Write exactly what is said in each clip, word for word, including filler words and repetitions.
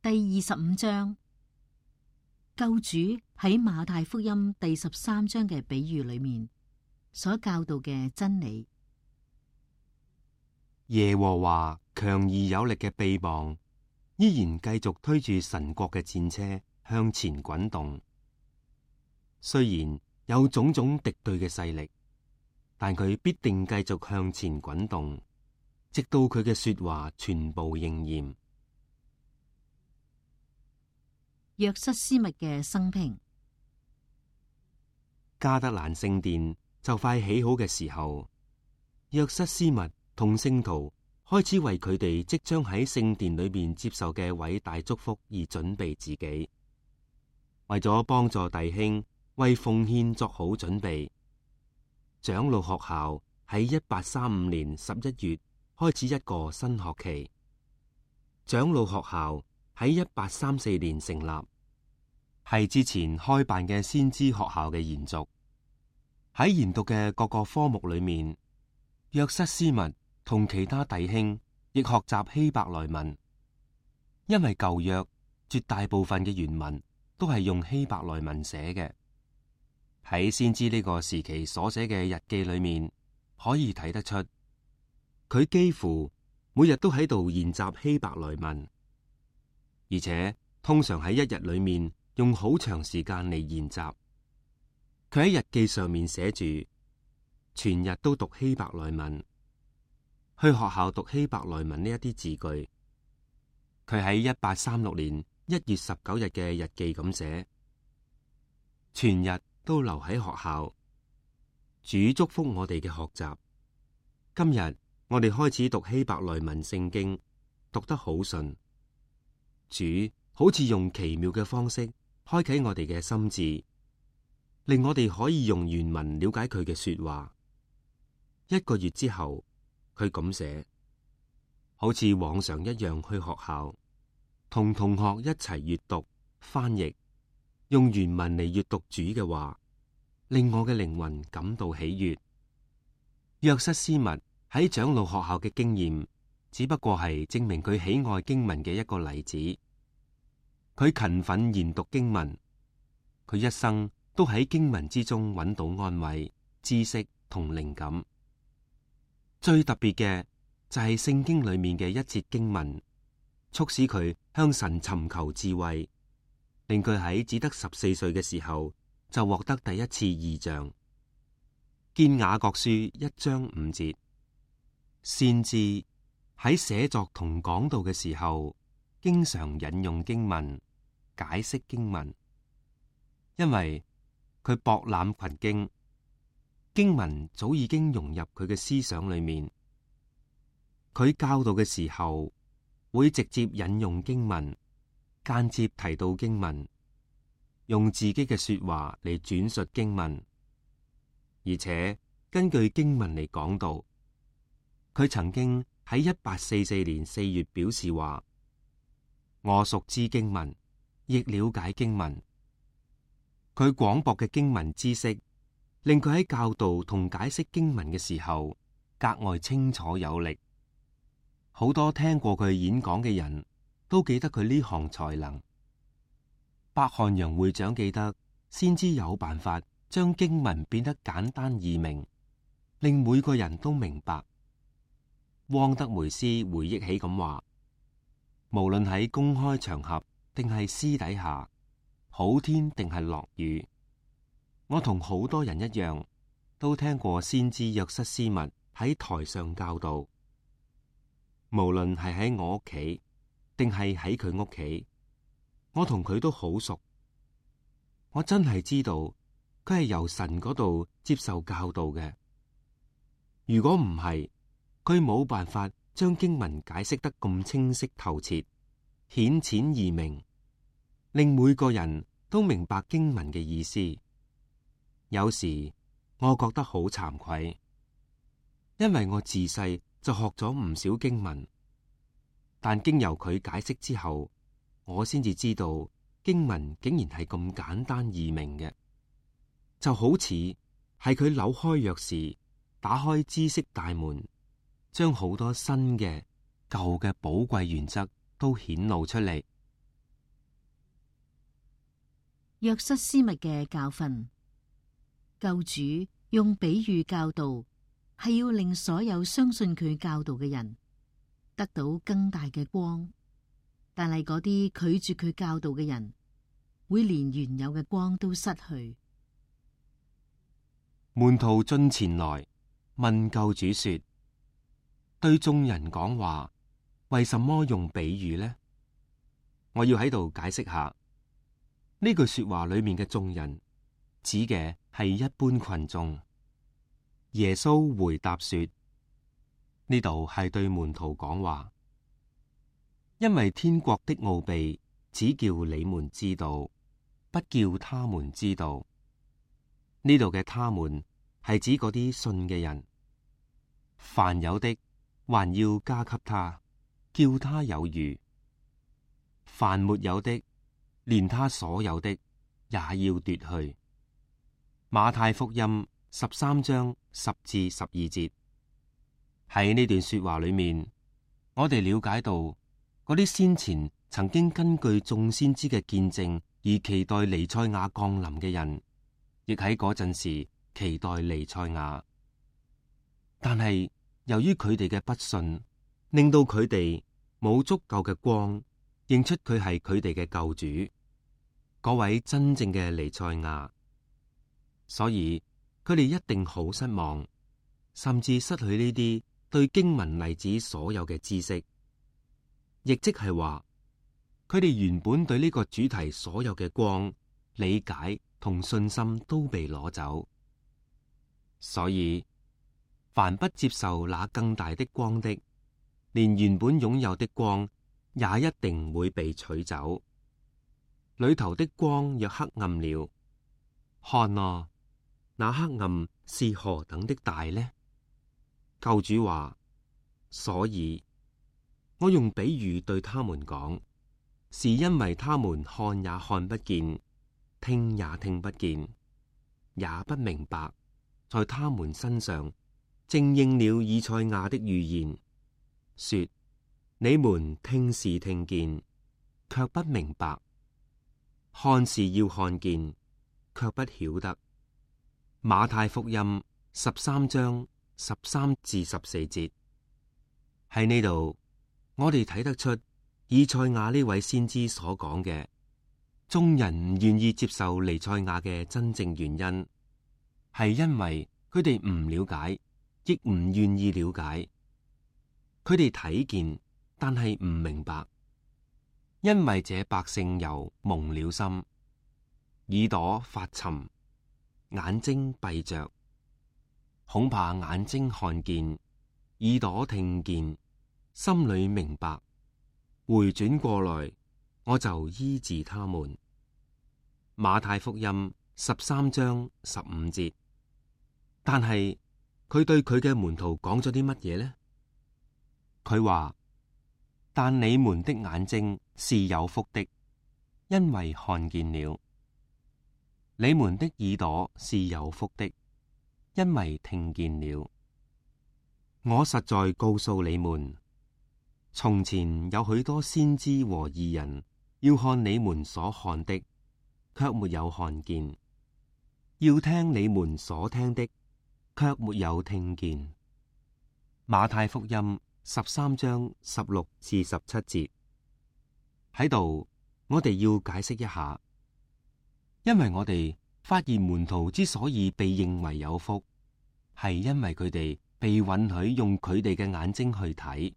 第二十五章，救主喺馬太福音第十三章嘅比喻裏面所教導嘅真理。耶和華強而有力嘅臂膀，依然繼續推住神國嘅戰車向前滾動。雖然有種種敵對嘅勢力，但佢必定繼續向前滾動，直到佢嘅說話全部應驗。約瑟斯密嘅生平。加德蘭聖殿就快起好嘅時候，約瑟斯密同聖徒開始為佢哋即將喺聖殿裏面接受嘅偉大祝福而準備自己，為咗幫助弟兄為奉獻作好準備。長老學校喺一八三五年十一月開始一個新學期。長老學校喺一八三四年成立，係之前開辦嘅先知學校嘅延續。喺研讀嘅各個科目裏面，約瑟斯密同其他弟兄亦學習希伯來文，因為舊約絕大部分嘅原文都係用希伯來文寫嘅。喺先知呢個時期所寫嘅日記裏面，可以睇得出佢幾乎每日都喺度研習希伯來文，而且通常喺一日裏面用好長時間嚟研習。佢喺日記上面寫住，全日都讀希伯來文，去學校讀希伯來文呢一啲字句。佢喺一八三六年一月十九日嘅日記咁寫，全日都留喺學校。主祝福我哋嘅學習。今日我哋開始讀希伯來文聖經，讀得好順。主好似用奇妙嘅方式開啟我哋嘅心智，令我哋可以用原文了解佢嘅說話。一個月之後，佢咁寫，好似往常一樣去學校，同同學一齊閱讀、翻譯，用原文嚟閱讀主嘅話，令我嘅靈魂感到喜悅。約瑟斯密喺長老學校嘅經驗，只不過係證明佢喜愛經文嘅一個例子。佢勤奮研讀經文，佢一生都喺經文之中揾到安慰、知識同靈感。最特別嘅就係聖經裏面嘅一節經文，促使佢向神尋求智慧，令佢喺只得十四歲嘅時候就獲得第一次異象。見雅各書一章五節，先知喺寫作同講道嘅時候，經常引用經文，解釋經文，因為佢博覽群經，經文早已經融入佢嘅思想裏面。佢教導嘅時候會直接引用經文，間接提到經文，用自己嘅說話嚟轉述經文，而且根據經文嚟講道。佢曾經喺一八四四年四月表示話：我熟知經文，亦了解經文。佢廣博嘅經文知識，令佢喺教導同解釋經文嘅時候格外清楚有力。好多聽過佢演講嘅人都記得佢呢項才能。伯漢陽會長記得，先知有辦法將經文變得簡單易明，令每個人都明白。汪德梅斯回憶起咁話：無論喺公開場合定係私底下，好天定係落雨，我同好多人一樣，都聽過先知約瑟斯密喺台上教導。無論係喺我屋企定係喺佢屋企，我同佢都好熟。我真係知道佢係由神嗰度接受教導嘅。如果唔係，佢冇辦法將經文解釋得咁清晰透徹、顯淺易明，令每個人都明白經文嘅意思。有時我覺得好慚愧，因為我自細就學咗唔少經文，但經由佢解釋之後，我先至知道經文竟然係咁簡單易明嘅，就好似係佢扭開鑰匙，打開知識大門，將好多新嘅、舊嘅寶貴原則都顯露出嚟，約瑟斯密嘅教訓。救主用比喻教導，係要令所有相信佢教導嘅人得到更大嘅光，但係嗰啲拒絕佢教導嘅人，會連原有嘅光都失去。門徒進前來問救主說：對眾人講話，為什麼用比喻呢？我要喺度解釋下呢句說話裏面嘅眾人，指嘅係一般群眾。耶穌回答說：呢度係對門徒講話，因為天國的奧秘只叫你們知道，不叫他們知道。呢度嘅他們係指嗰啲信嘅人。凡有的，還要加給他，叫他有餘；凡沒有的，連他所有的也要奪去。馬太福音十三章十至十二節。喺呢段說話裏面，我哋了解到嗰啲先前曾經根據眾先知嘅見證而期待彌賽亞降臨嘅人，亦喺嗰陣時期待彌賽亞。但係由於佢哋嘅不信，令到佢哋冇足夠嘅光認出佢係佢哋嘅救主，嗰位真正嘅彌賽亞。所以佢哋一定好失望，甚至失去呢啲對經文例子所有嘅知識，亦即係話佢哋原本對呢個主題所有嘅光、理解同信心都被攞走。所以凡不接受那更大的光的，連原本擁有的光也一定會被取走。裏頭的光若黑暗了，看啊，那黑暗是何等的大呢？救主話：所以我用比喻對他們講，是因為他們看也看不見，聽也聽不見，也不明白，在他們身上正應了以賽亞的預言，說：你們聽是聽見，卻不明白；看是要看見，卻不曉得。馬太福音十三章十三至十四節。喺呢度，我哋睇得出以賽亞呢位先知所講嘅，眾人唔願意接受彌賽亞嘅真正原因，係因為佢哋唔了解，亦唔願意了解。佢哋睇見，但係唔明白，因為這百姓又蒙了心，耳朵發沉，眼睛閉着，恐怕眼睛看見，耳朵聽見，心裏明白，回轉過來，我就醫治他們。馬太福音十三章十五節。但係佢對佢嘅門徒講咗啲乜嘢呢？佢話：但你們的眼睛是有福的，因為看見了；你們的耳朵是有福的，因為聽見了。我實在告訴你們，從前有許多先知和義人要看你們所看的，卻沒有看見；要聽你們所聽的，卻沒有聽見。馬太福音十三章十六至十七節。喺度，我哋要解釋一下，因為我哋發現門徒之所以被認為有福，係因為佢哋被允許用佢哋嘅眼睛去睇，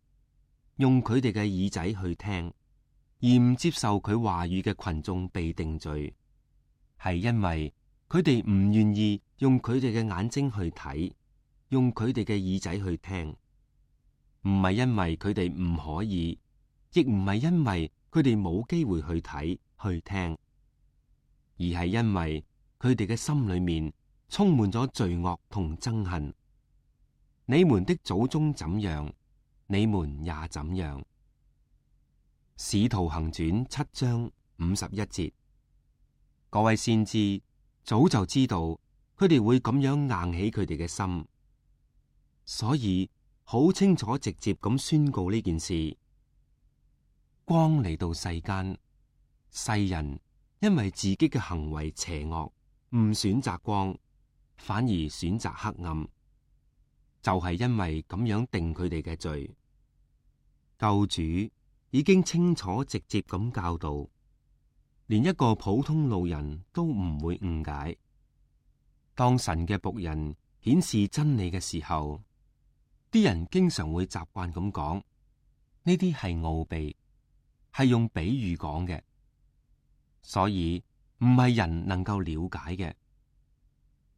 用佢哋嘅耳仔去聽，而唔接受佢話語嘅群眾被定罪，係因為佢哋唔願意用佢哋嘅眼睛去睇，用佢哋嘅耳仔去聽，唔係因為佢哋唔可以，亦唔係因為佢哋冇機會去睇去聽，而係因為佢哋嘅心裏面充滿咗罪惡同憎恨。你們的祖宗怎樣，你們也怎樣。使徒行傳七章五十一節。各位先知早就知道佢哋會咁樣硬起佢哋嘅心，所以好清楚直接咁宣告呢件事。光嚟到世間，世人因為自己嘅行為邪惡，唔選擇光，反而選擇黑暗，就係因為咁樣定佢哋嘅罪。救主已經清楚直接咁教導，連一個普通路人都唔會誤解。當神嘅僕人顯示真理嘅時候，啲人經常會習慣咁講，呢啲係奧秘，係用比喻講嘅，所以唔係人能夠了解嘅。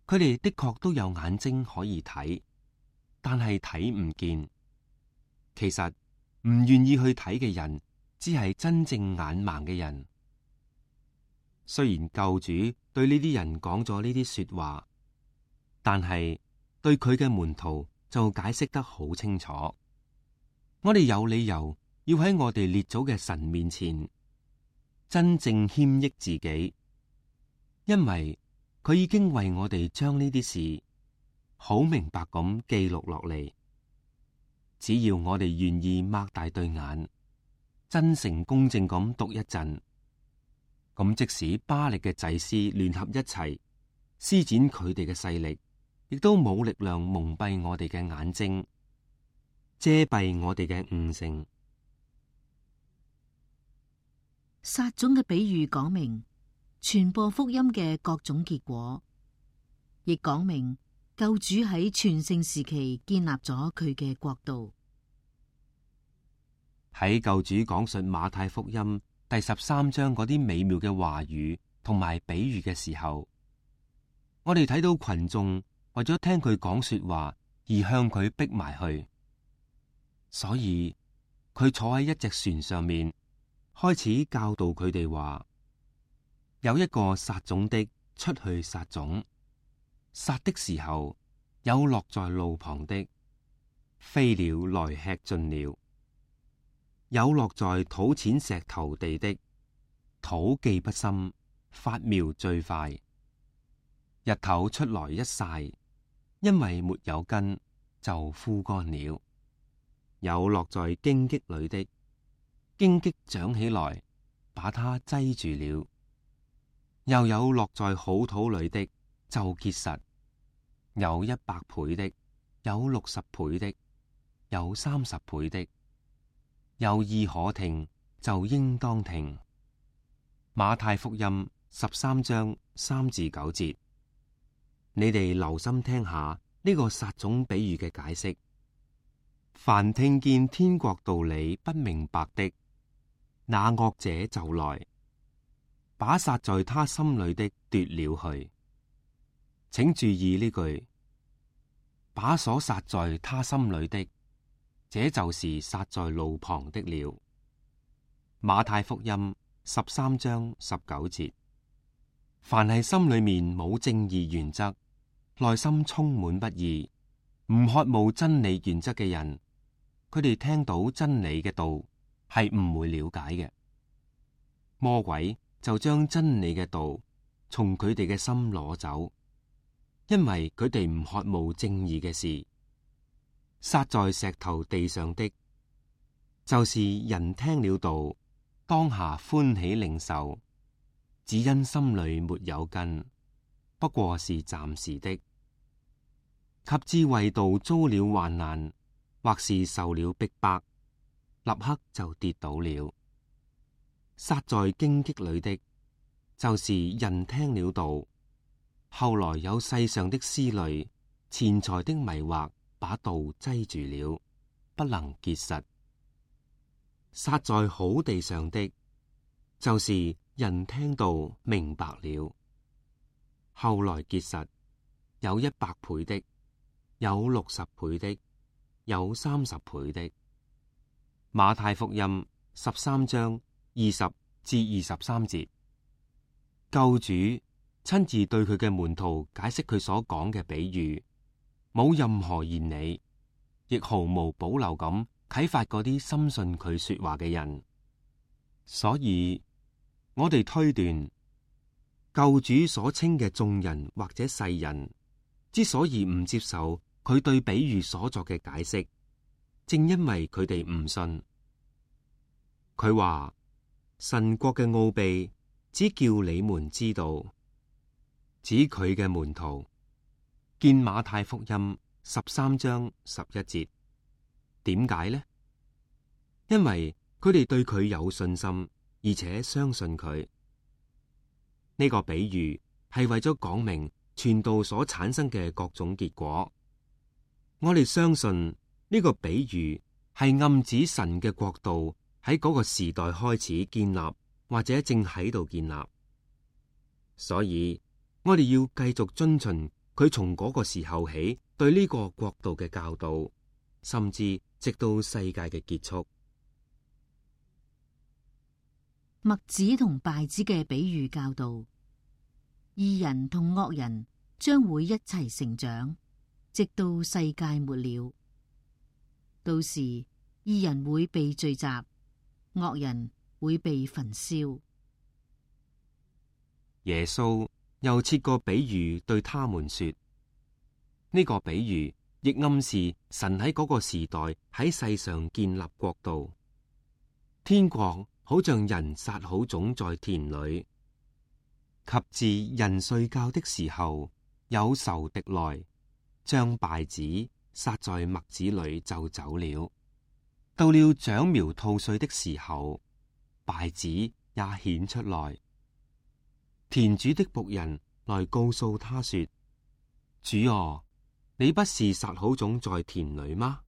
佢哋的確都有眼睛可以睇，但係睇唔見。其實唔願意去睇嘅人，只係真正眼盲嘅人。雖然救主對呢啲人講咗呢啲說話，但係對佢嘅門徒就解釋得好清楚。我哋有理由要喺我哋列祖嘅神面前真正謙抑自己，因為佢已經為我哋將呢啲事好明白咁記錄落嚟。只要我哋願意擘大對眼，真誠公正咁讀一陣，咁即使巴力嘅祭司聯合一齊施展佢哋嘅勢力，亦都冇力量蒙蔽我哋嘅眼睛，遮蔽我哋嘅悟性。撒種嘅比喻講明傳播福音嘅各種結果，亦講明救主喺全盛時期建立咗佢嘅國度。喺救主講述馬太福音第十三章嗰啲美妙嘅話語同埋比喻嘅時候，我哋睇到群眾為咗聽佢講說話而向佢逼埋去，所以佢坐喺一隻船上面，開始教導佢哋話：有一個撒種的出去撒種，撒的時候有落在路旁的，飛鳥來吃盡了；有落在土淺石頭地的，土既不深，發苗最快，日頭出來一曬，因為沒有根，就枯乾了；有落在荊棘裏的，荊棘長起來，把它擠住了；又有落在好土裏的，就結實，有一百倍的，有六十倍的，有三十倍的。有意可聽，就應當聽。馬太福音十三章三至九節，你哋留心聽下呢個撒種比喻嘅解釋。凡聽見天國道理不明白的，那惡者就來，把撒在他心裏的奪了去。請注意呢句，把所撒在他心裏的，這就是撒在路旁的了。馬太福音十三章十九節，凡係心裏面冇正義原則，內心充滿不義，唔渴慕真理原則嘅人，佢哋聽到真理嘅道係唔會了解嘅。魔鬼就將真理嘅道從佢哋嘅心攞走，因為佢哋唔渴慕正義嘅事。撒在石頭地上的，就是人聽了道，當下歡喜領受，只因心裏沒有根，不過是暫時的。及至為道遭了患難，或是受了逼迫，立刻就跌倒了。撒在荊棘裏的，就是人聽了道，後來有世上的思慮、錢財的迷惑，把道擠住了，不能結實。撒在好地上的，就是人聽道明白了，後來結實，有一百倍的，有六十倍的，有三十倍的。馬太福音十三章二十至二十三節，救主親自對佢嘅門徒解釋佢所講嘅比喻，冇任何言理，亦毫無保留咁啟發嗰啲深信佢說話嘅人。所以我哋推斷，救主所稱嘅眾人或者世人之所以唔接受佢對比喻所作嘅解釋，正因為佢哋唔信。佢話神國嘅奧秘只叫你們知道，指佢嘅門徒。見馬太福音十三章十一節。點解呢？因為佢哋對佢有信心，而且相信佢。呢個比喻係為咗講明傳道所產生嘅各種結果。我哋相信呢個比喻係暗指神嘅國度喺嗰個時代開始建立，或者正喺度建立。所以我哋要繼續遵循佢從嗰個時候起對呢個國度嘅教導，甚至直到世界嘅結束。麥子同稗子嘅比喻教導，義人同惡人將會一齊成長，直到世界末了。到時義人會被聚集，惡人會被焚燒。耶穌又設個比喻對他們說，呢個比喻亦暗示神喺嗰個時代喺世上建立國度。天國好像人撒好種在田裏，及至人睡覺的時候，有仇敵來將稗子撒在麥子裏就走了。到了長苗吐穗的時候，稗子也顯出來。田主的僕人來告訴他說：主啊，你不是撒好種在田裏嗎？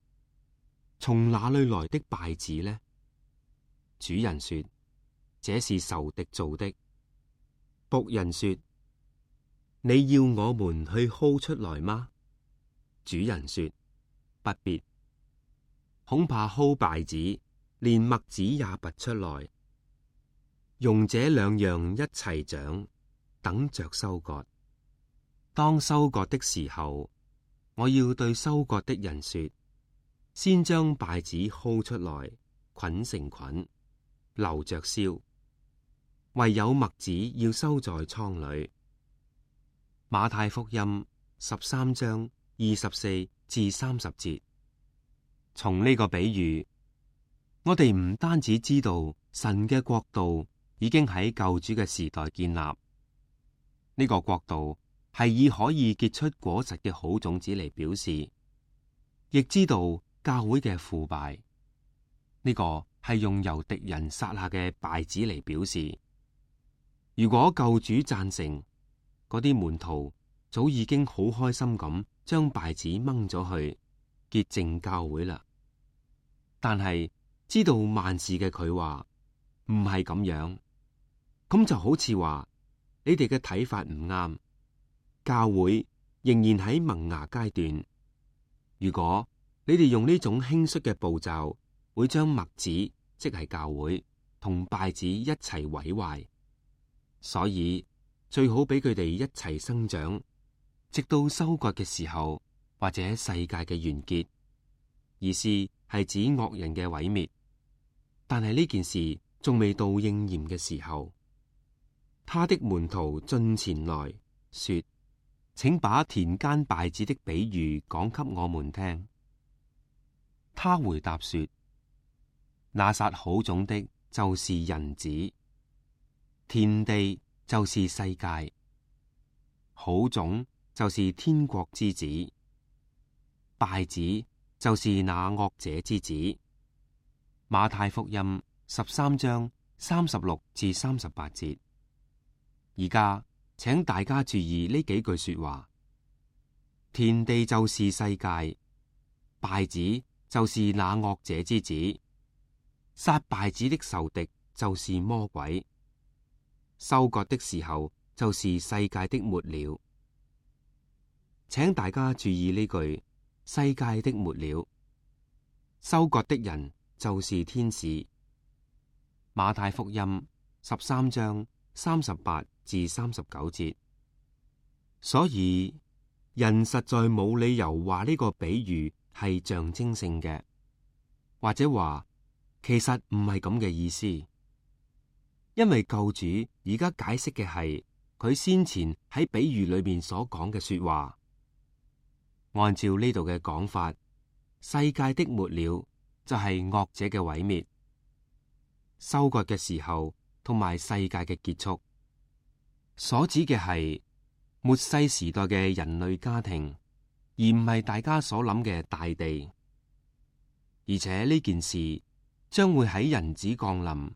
從哪裏來的稗子呢？主人說：這是仇敵做的。僕人說：你要我們去薅出來嗎？主人說：不必，恐怕薅稗子，連麥子也拔出來，容這兩樣一齊長，等着收割。當收割的時候，我要對收割的人說：先將稗子薅出來，捆成捆，留着燒；唯有麥子要收在倉裏。馬太福音十三章二十四至三十節。從呢個比喻，我哋唔單止知道神嘅國度已經喺救主嘅時代建立，呢、這個國度係以可以結出果實嘅好種子嚟表示，亦知道教會嘅腐敗，呢、這個係用由敵人撒下嘅稗子嚟表示。如果救主贊成，嗰啲門徒早已經好開心咁將稗子掹咗去潔淨教會啦。但係知道萬事嘅佢話唔係咁樣，咁就好似話你哋嘅睇法唔啱，教會仍然喺萌芽階段。如果你哋用呢種輕率嘅步驟，會將麥子即係教會同稗子一齊毀壞，所以最好俾佢哋一齊生長，直到收割嘅時候或者世界嘅完結。意思係指惡人嘅毀滅，但係呢件事仲未到應驗嘅時候。他的門徒進前來說：請把田間稗子的比喻講給我們聽。他回答說：那撒好種的，就是人子；田地就是世界。好種就是天國之子，稗子就是那惡者之子。馬太福音十三章三十六至三十八節。而家請大家注意呢幾句說話：田地就是世界，稗子就是那惡者之子，撒稗子的仇敵就是魔鬼，收割的時候就是世界的末了。請大家注意呢句：世界的末了。收割的人就是天使。馬太福音十三章三十八至三十九節。所以人實在冇理由話呢個比喻係象徵性嘅，或者話其實唔係咁嘅意思，因為救主而家解釋嘅係佢先前喺比喻裏面所講嘅說話。按照呢度嘅講法，世界的末了就係惡者嘅毀滅，收割嘅時候同埋世界嘅結束所指嘅係末世時代嘅人類家庭，而唔係大家所諗嘅大地。而且呢件事將會喺人子降臨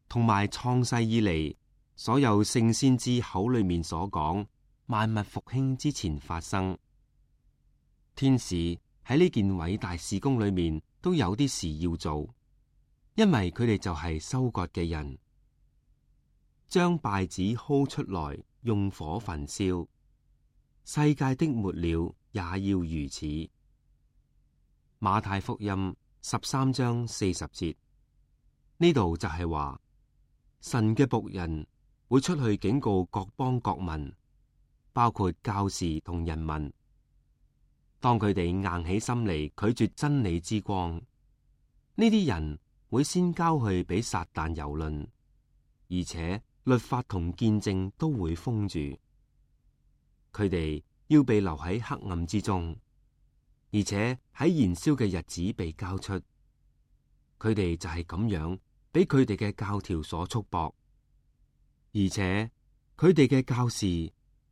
同埋創世以嚟所有聖先知口裏面所講萬物復興之前發生。天使喺呢件偉大事工裏面都有啲事要做，因為佢哋就係收割嘅人，將稗子薅出來，用火焚燒。世界的末了也要如此。馬太福音十三章四十節，呢度就係話神嘅僕人會出去警告各邦各民，包括教士同人民。當佢哋硬起心嚟拒絕真理之光，呢啲人會先交去俾撒旦蹂躪，而且律法同見證都會封住。佢哋要被留喺黑暗之中，而且喺燃燒嘅日子被交出。佢哋就係咁樣俾佢哋嘅教條所束縛，而且佢哋嘅教士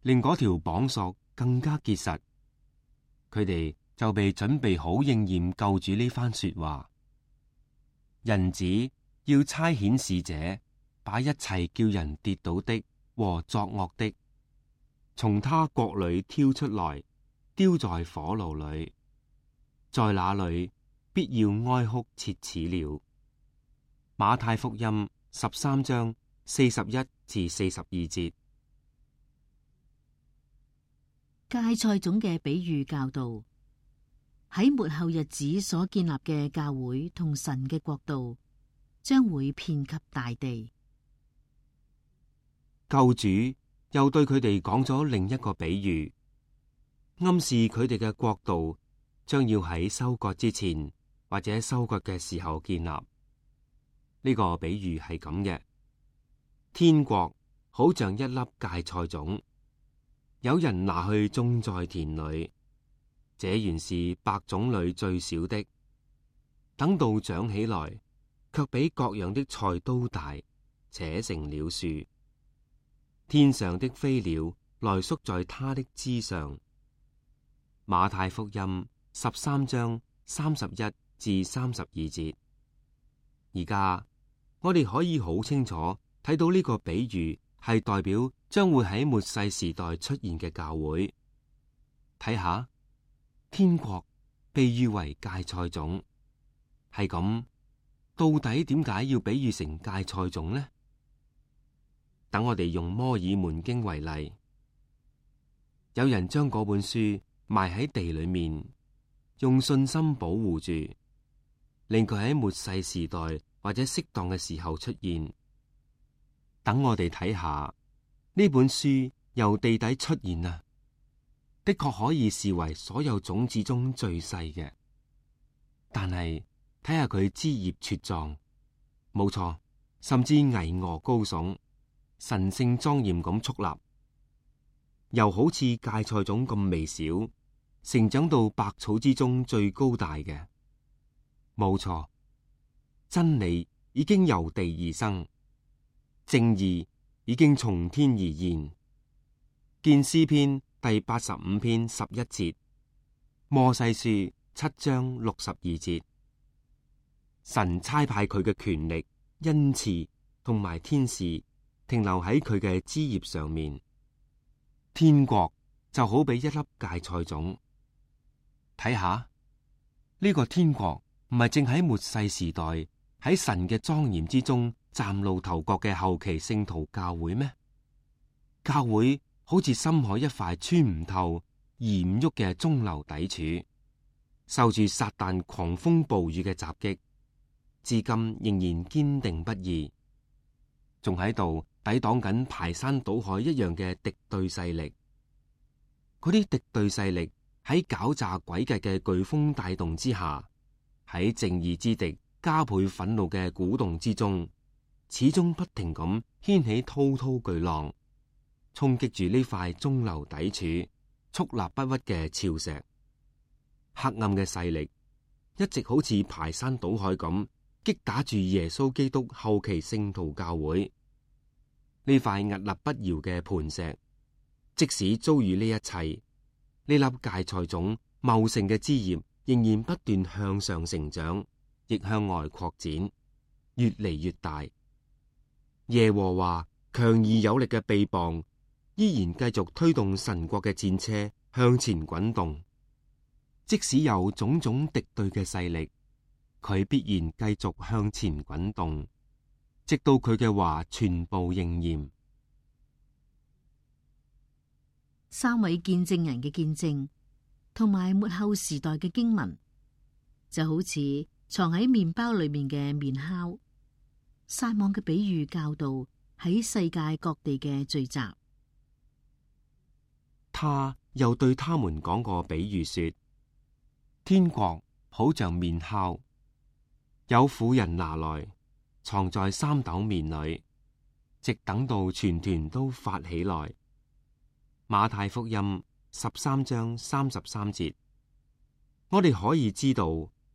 令嗰條綁索更加結實。佢哋就被準備好應驗救主呢番說話。人子要差遣使者，把一切叫人跌倒的和作惡的，從他國裏挑出來，丟在火爐裏，在那裏必要哀哭切齒了。馬太福音十三章四十一至四十二節。芥菜種嘅比喻教導，喺末後日子所建立嘅教會同神嘅國度，將會遍及大地。救主又對佢哋講咗另一個比喻，暗示佢哋嘅國度將要喺收割之前或者收割嘅時候建立。呢個比喻係咁嘅：天國好像一粒芥菜種，有人拿去種在田裏，這原是百種裏最小的，等到長起來，卻比各樣的菜都大，且成了樹。天上的飛鳥來宿在它的枝上。馬太福音十三章三十一至三十二節。而家我哋可以好清楚睇到呢個比喻係代表將會喺末世時代出現嘅教會。睇下，天國被喻為芥菜種，係咁，到底點解要比喻成芥菜種呢？等我哋用摩爾門經為例，有人將嗰本書埋喺地裏面，用信心保護住，令佢喺末世時代或者適當嘅時候出現。等我哋睇下呢本書由地底出現啊，的確可以視為所有種子中最細嘅。但係睇下佢枝葉茁壯，冇錯，甚至巍峨高聳，神聖莊嚴咁矗立，又好似芥菜種咁微小，成長到百草之中最高大嘅。冇錯，真理已經由地而生，正義已經從天而現。見詩篇第八十五篇十一節，摩西書七章六十二節。神差派佢嘅權力、恩賜同埋天使停留喺佢嘅枝葉上面。天國就好比一粒芥菜種。睇下呢個天國唔係正喺末世時代喺神嘅莊嚴之中嶄露頭角嘅後期聖徒教會咩？教會好似深海一塊穿唔透、移唔喐嘅中流砥柱，受住撒旦狂風暴雨嘅襲擊，至今仍然堅定不移，仲喺度抵擋緊排山倒海一樣嘅敵對勢力。嗰啲敵對勢力喺狡詐詭計嘅颶風帶動之下，喺正義之敵加倍憤怒嘅鼓動之中，始終不停咁掀起滔滔巨浪，衝擊住呢塊中流砥柱屹立不屈嘅礁石。黑暗嘅勢力一直好似排山倒海咁擊打住耶穌基督後期聖徒教會。呢塊屹立不搖嘅磐石，即使遭遇呢一切，呢粒芥菜種茂盛嘅枝葉仍然不斷向上成長，亦向外擴展，越嚟越大。耶和華強而有力嘅臂膀，依然繼續推動神國嘅戰車向前滾動。即使有種種敵對嘅勢力，佢必然繼續向前滾動，直到佢嘅話全部應驗。三位見證人嘅見證，同埋末後時代嘅經文，就好似藏喺麵包裏面嘅麵酵，撒網嘅比喻教導喺世界各地嘅聚集。他又對他們講過比喻說：天國好像麵酵，有婦人拿來藏在三斗麵裏，直等到全團都發起來。馬太福音十三章三十三節，我哋可以知道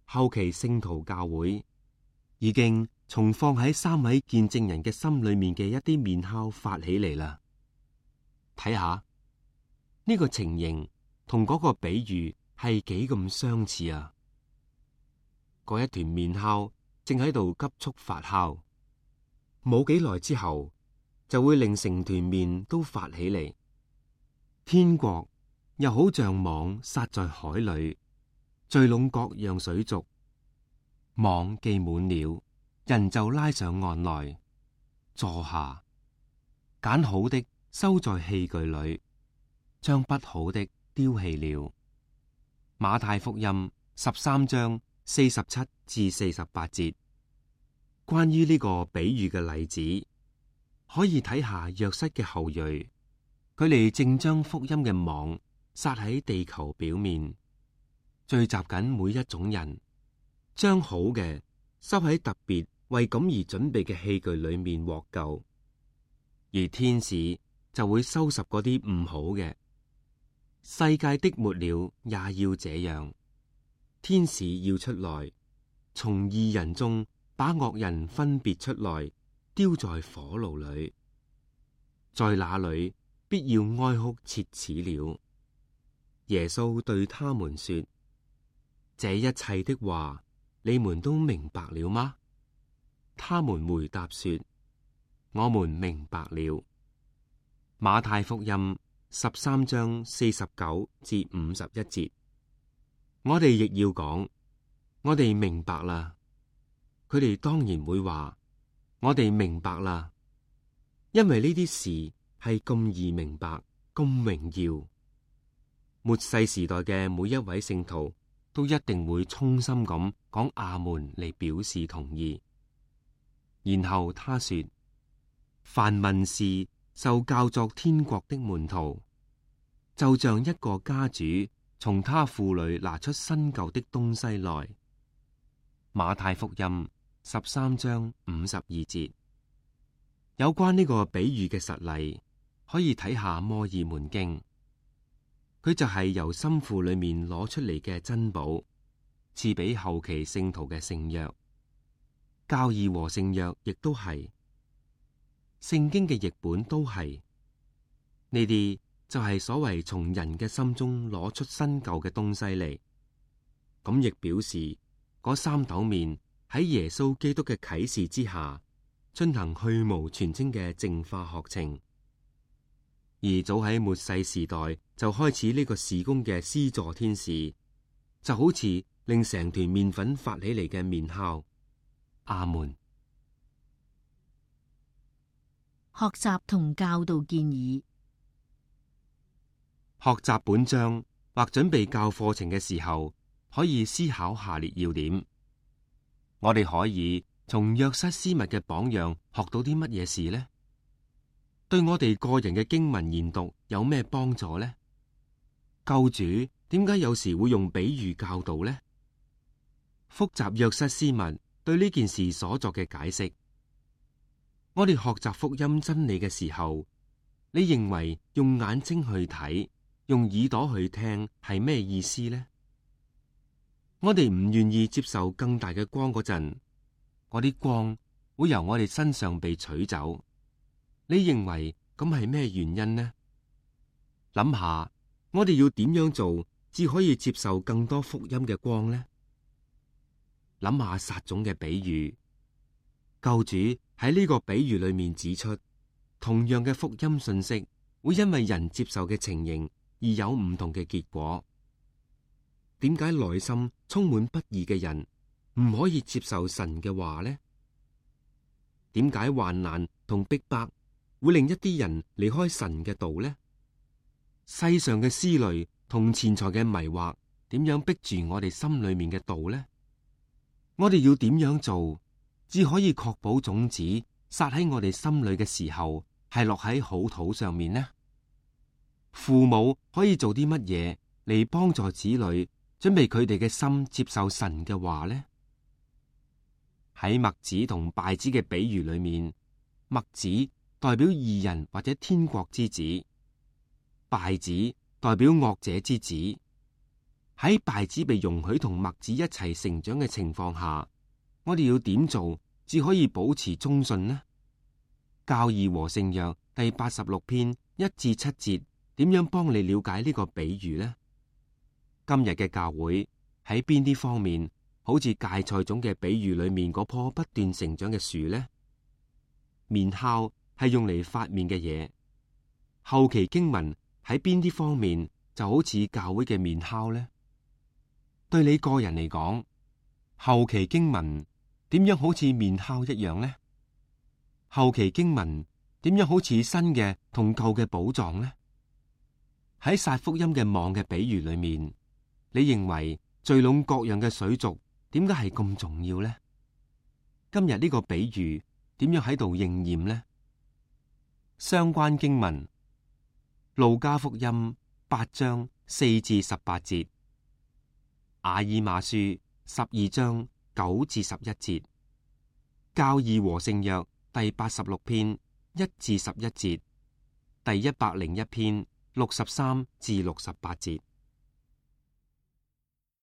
後期聖徒教會已經從放喺三位見證人嘅心裏面嘅一啲麵酵發起嚟啦。睇下呢個情形同嗰個比喻係幾咁相似啊！嗰一團麵酵正喺度急速發酵，冇幾耐之後就會令成團麵都發起嚟。天國又好像網撒在海裏，聚攏各樣水族。網既滿了，人就拉上岸來，坐下，揀好的收在器具裏，將不好的丟棄了。馬太福音十三章四十七至四十八節，關於呢個比喻嘅例子，可以睇下約瑟嘅後裔，佢哋正將福音嘅網撒喺地球表面，聚集緊每一種人，將好嘅收喺特別為咁而準備嘅器具裏面獲救，而天使就會收拾嗰啲唔好嘅。世界的末了也要這樣，天使要出來，從義人中把惡人分別出來，丟在火爐裏，在那裏必要哀哭切齒了。耶穌對他們說：這一切的話，你們都明白了嗎？他們回答說：我們明白了。馬太福音十三章四十九至五十一節，我哋亦要講，我哋明白啦。佢哋當然會話，我哋明白啦，因為呢啲事係咁易明白，咁榮耀。末世時代嘅每一位聖徒都一定會衷心咁講阿門嚟表示同意。然後他說：凡文士受教作天國的門徒，就像一個家主從他庫裏拿出新舊的東西來。馬太福音十三章五十二節，有關呢個比喻嘅實例，可以睇下摩爾門經。佢就係由心庫裏面攞出嚟嘅珍寶，賜俾後期聖徒嘅聖約。教義和聖約亦都係，聖經嘅譯本都係。呢啲就係所謂從人嘅心中攞出新舊嘅東西嚟。咁亦表示嗰三斗麵喺耶穌基督嘅啟示之下，進行去蕪存菁嘅淨化學程。而早喺末世時代就開始呢個事工嘅施助天使，就好似令成團麵粉發起嚟嘅麵酵。阿門。學習同教導建議。學習本章或準備教課程嘅時候，可以思考下列要點。我哋可以從約瑟斯密嘅榜樣學到啲乜嘢事呢？對我哋個人嘅經文研讀有咩幫助呢？救主點解有時會用比喻教導呢？複習約瑟斯密對呢件事所作嘅解釋。我哋學習福音真理嘅時候，你認為用眼睛去睇，用耳朵去聽係咩意思呢？我哋唔願意接受更大嘅光嗰陣，嗰啲光會由我哋身上被取走。你認為咁係咩原因呢？諗下，我哋要點樣做，至可以接受更多福音嘅光呢？諗下撒種嘅比喻，救主喺呢個比喻裏面指出，同樣嘅福音信息會因為人接受嘅情形而有唔同嘅結果。點解內心充滿不義嘅人唔可以接受神嘅話呢？點解患難同逼迫會令一啲人離開神嘅道呢？世上嘅思慮同錢財嘅迷惑點樣逼住我哋心裏面嘅道呢？我哋要點樣做，只可以確保種子撒喺我哋心裏嘅時候係落喺好土上面呢？父母可以做啲乜嘢嚟幫助子女準備佢哋嘅心接受神嘅話呢？喺麥子同稗子嘅比喻裏面，麥子代表義人或者天國之子，稗子代表惡者之子。喺稗子被容許同麥子一齊成長嘅情況下，我哋要點做至可以保持忠信呢？教義和聖約第八十六篇一至七節點樣幫你了解呢個比喻呢？今日嘅教會喺邊啲方面好似芥菜種嘅比喻裏面嗰棵不斷成長嘅樹呢？麵酵係用嚟發麵嘅嘢，後期經文喺邊啲方面就好似教會嘅麵酵呢？對你個人嚟講，後期經文點樣好似麵酵一樣呢？後期經文點樣好似新嘅同舊嘅寶藏呢？喺撒福音嘅網嘅比喻裏面，你認為聚攏各樣嘅水族點解係咁重要呢？今日呢個比喻點樣喺度應驗呢？相關經文：路加福音八章四至十八節，雅爾馬書十二章九至十一節，教義和聖約第八十六篇一至十一節，第一百零一篇六十三至六十八節。